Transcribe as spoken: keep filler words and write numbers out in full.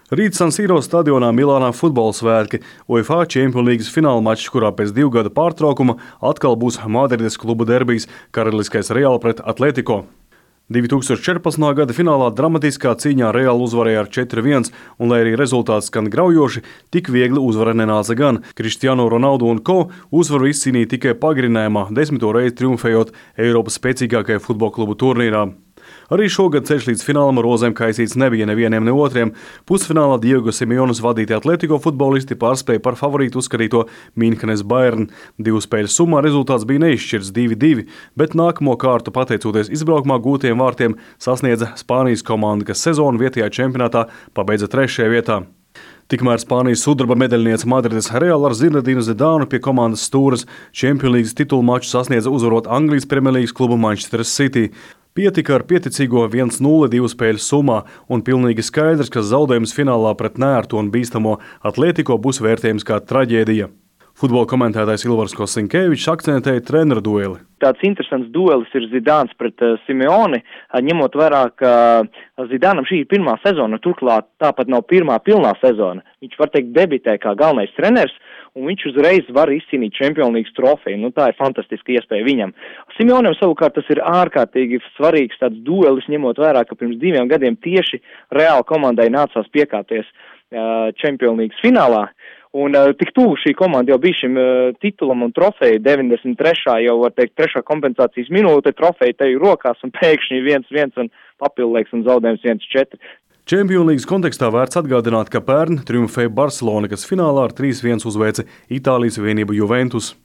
Rīt San Siro stadionā Milānā futbola svētki, UEFA Champions League fināla mačs, kurā pēc divu gadu pārtraukuma atkal būs Madrides klubu derbijs karaliskais Real pret Atletico. divi tūkstoši četrpadsmitā gada finālā dramatiskā cīņā Real uzvarēja ar četri viens, un, lai arī rezultāts skan graujoši, tik viegli uzvara nenāca gan. Cristiano Ronaldo un ko uzvaru izcīnīja tikai pagarinājumā, desmito reizi triumfējot Eiropas spēcīgākajā futbola klubu turnīrā. Arī šogad ceļš līdz finālam rozēm kaisīts nebija nevieniem ne otriem. Pusfinālā Diego Simeones vadīti Atletico futbolisti pārspēja par favorītu uzskatīto Münchenes Bayern. Divu spēļu summā rezultāts bija neizšķirts divi divi, bet nākamo kārtu pateicoties izbraukumā gūtiem vārtiem sasniedza Spānijas komanda, kas sezonu vietējā čempionātā pabeidza trešajā vietā. Tikmēr Spānijas sudraba medaļniece Madrides Real ar Zinedinu Zidānu pie komandas stūres Champions League titulu maču sasniedza uzvarot Anglijas Premjerlīgas klubu Manchester City. Pietika ar pieticīgo viens nulle divu spēļu summā, un pilnīgi skaidrs, ka zaudējums finālā pret neērtu un bīstamo Atletico būs vērtējums kā traģēdija. Futbola komentētājs Ilvars Kosinkevičs akcentēja treneru dueli. Tāds interesants duelis ir Zidāns pret uh, Simeoni, uh, ņemot vērā, ka Zidānam šī ir pirmā sezona, turklāt tāpat nav pirmā pilnā sezona. Viņš var teikt debitē kā galvenais treneris, un viņš uzreiz var izcīnīt Champions League trofeju. Nu, tā ir fantastiska iespēja viņam. Simeonam savukārt tas ir ārkārtīgi svarīgs tāds duelis, ņemot vērā, ka pirms diviem gadiem tieši Real komandai nācās piekāpties uh, Champions League finālā. Un uh, tik tuvu šī komanda jau bija šim uh, titulam un trofeju, deviņdesmit trešā jau var teikt trešā kompensācijas minūte, trofeja teju rokās un pēkšņi viens viens un papildlaiks un zaudējums viens četri. Champions League kontekstā vērts atgādināt, ka pērn triumfēja Barcelona, kas finālā ar trīs viens uzveica Itālijas vienību Juventus.